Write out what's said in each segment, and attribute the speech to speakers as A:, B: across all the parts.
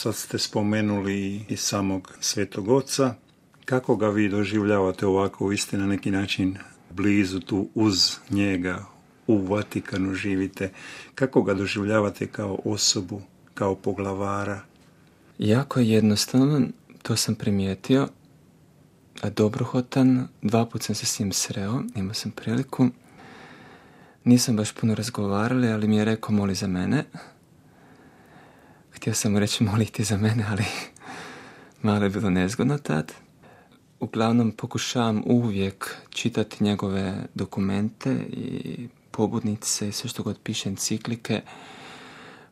A: sad ste spomenuli i samog Svetog Oca. Kako ga vi doživljavate ovako, vi ste na neki način blizu tu uz njega, u Vatikanu živite. Kako ga doživljavate kao osobu, kao poglavara?
B: Jako je jednostavno, to sam primijetio. Dobrohotan, 2 puta sam se s njim sreo, imao sam priliku. Nisam baš puno razgovarali, ali mi je rekao moli za mene. Htio sam mu reći moli ti za mene, ali malo je bilo nezgodno tad. Uglavnom pokušavam uvijek čitati njegove dokumente i pobudnice i sve što god piše, enciklike,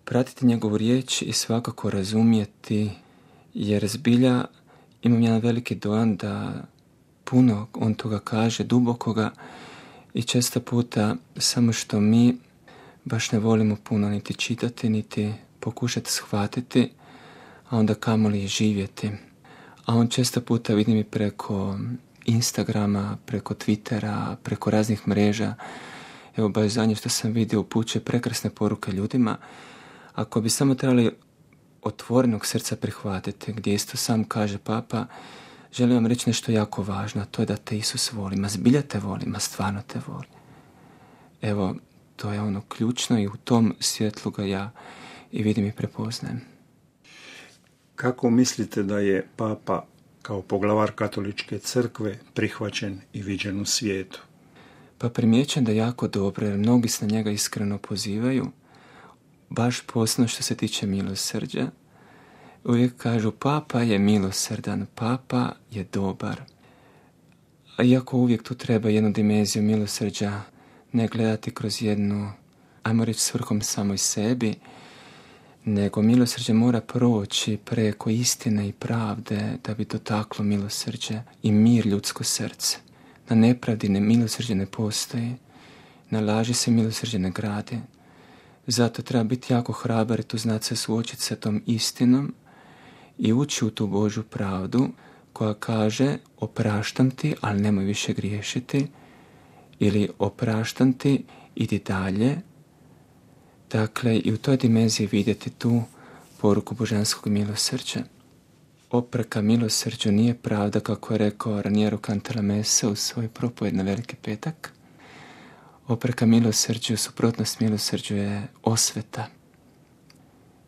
B: pratiti njegovu riječ i svakako razumjeti, jer zbilja imam jedan veliki dojam da puno on toga kaže, dubokoga, i često puta samo što mi baš ne volimo puno niti čitati, niti pokušati shvatiti, a onda kamoli živjeti. A on često puta vidim i preko Instagrama, preko Twittera, preko raznih mreža. Evo baš zadnje što sam vidio upućuje prekrasne poruke ljudima. Ako bi samo trebali otvorenog srca prihvatiti, gdje isto sam kaže Papa, želim vam reći nešto jako važno, a to je da te Isus voli. Ma zbilja te voli, ma stvarno te voli. Evo, to je ono ključno i u tom svjetlu ga ja i vidim i prepoznajem.
A: Kako mislite da je Papa kao poglavar Katoličke crkve prihvaćen i viđen u svijetu?
B: Pa primjećam da jako dobro, jer mnogi se na njega iskreno pozivaju, baš posebno što se tiče milosrđa. Uvijek kažu Papa je milosrdan, Papa je dobar. A iako uvijek tu treba jednu dimenziju milosrđa, ne gledati kroz jednu, ajmo reći, svrhom samoj sebi, nego milosrđe mora proći preko istine i pravde da bi dotaklo milosrđe i mir ljudsko srce. Na nepravdi milosrđe ne postoji, na laži se milosrđe ne gradi. Zato treba biti jako hrabar i tu znati se suočiti sa tom istinom i ući u tu Božju pravdu koja kaže opraštam ti, ali nemoj više griješiti, ili opraštam ti, idi dalje. Dakle, i u toj dimenziji vidjeti tu poruku božanskog milosrđa. Opreka milosrđu nije pravda, kako je rekao Raniero Cantalamessa u svoj propovjed na Veliki petak. Opreka milosrđu, suprotnost milosrđu je osveta.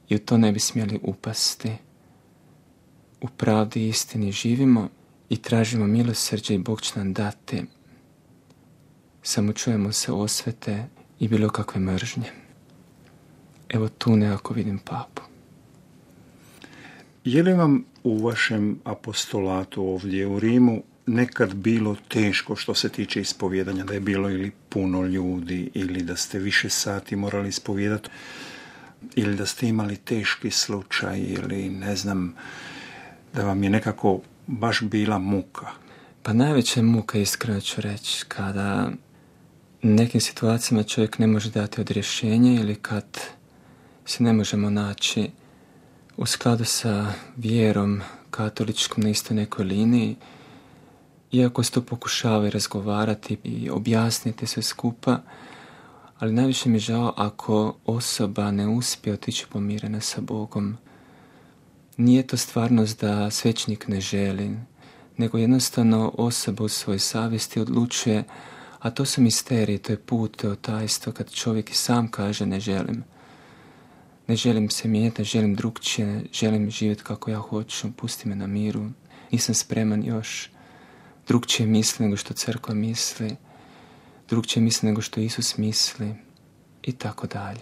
B: I u to ne bi smjeli upasti. U pravdi i istini živimo i tražimo milosrđe i Bog će nam dati. Samo čujemo se osvete i bilo kakve mržnje. Evo tu nekako vidim Papu.
A: Je li vam u vašem apostolatu ovdje u Rimu nekad bilo teško što se tiče ispovjedanja, da je bilo ili puno ljudi, ili da ste više sati morali ispovjedati, ili da ste imali teški slučaj, ili ne znam, da vam je nekako baš bila muka?
B: Pa najveća muka, iskreno ću reći, kada nekim situacijama čovjek ne može dati odrješenje ili kad se ne možemo naći u skladu sa vjerom katoličkom na istoj nekoj liniji, iako se to pokušava razgovarati i objasniti sve skupa, ali najviše mi je žao ako osoba ne uspije otići pomirena sa Bogom. Nije to stvarnost da svećenik ne želi, nego jednostavno osoba u svojoj savjesti odlučuje, a to su misteriji, to je put, to je tajstvo, kad čovjek i sam kaže ne želim. Ne želim se mijenjati, ne želim drugčije, ne želim živjeti kako ja hoću, pusti me na miru. Nisam spreman još drugčije misli nego što crkva misli, drugčije misli nego što Isus misli i tako dalje.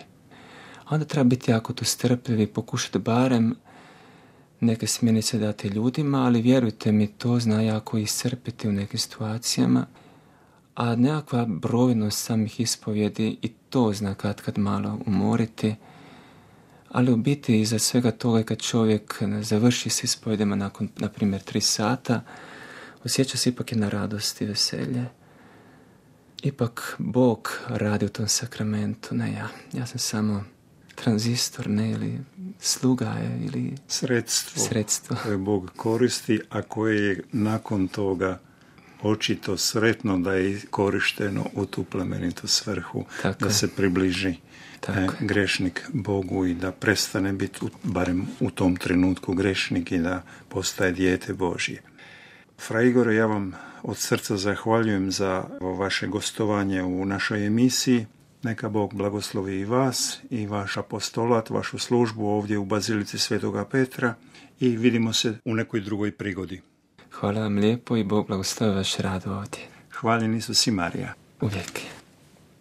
B: A onda treba biti jako tu strpljiv i pokušati barem neke smjernice dati ljudima, ali vjerujte mi, to zna jako iscrpiti u nekim situacijama, a nekakva brojnost samih ispovjedi i to zna kad malo umoriti. Ali u biti iza svega toga kad čovjek završi s ispovjedima nakon, na primjer, 3 sata, osjeća se ipak jedna radost i veselje. Ipak Bog radi u tom sakramentu, ne ja. Ja sam samo tranzistor, ne, ili sluga je, ili
A: sredstvo koje Bog koristi, a koje je nakon toga očito sretno da je korišteno u tu plemenitu svrhu, da se približi grešnik Bogu i da prestane biti, barem u tom trenutku, grešnik i da postaje dijete Božje. Fra Igore, ja vam od srca zahvaljujem za vaše gostovanje u našoj emisiji. Neka Bog blagoslovi i vas i vaš apostolat, vašu službu ovdje u Bazilici Svetoga Petra i vidimo se u nekoj drugoj prigodi.
B: Hvala vam lijepo i Bog blagoslovi vaš rad ovdje.
A: Hvaljen Isus i Marija.
B: Uvijek.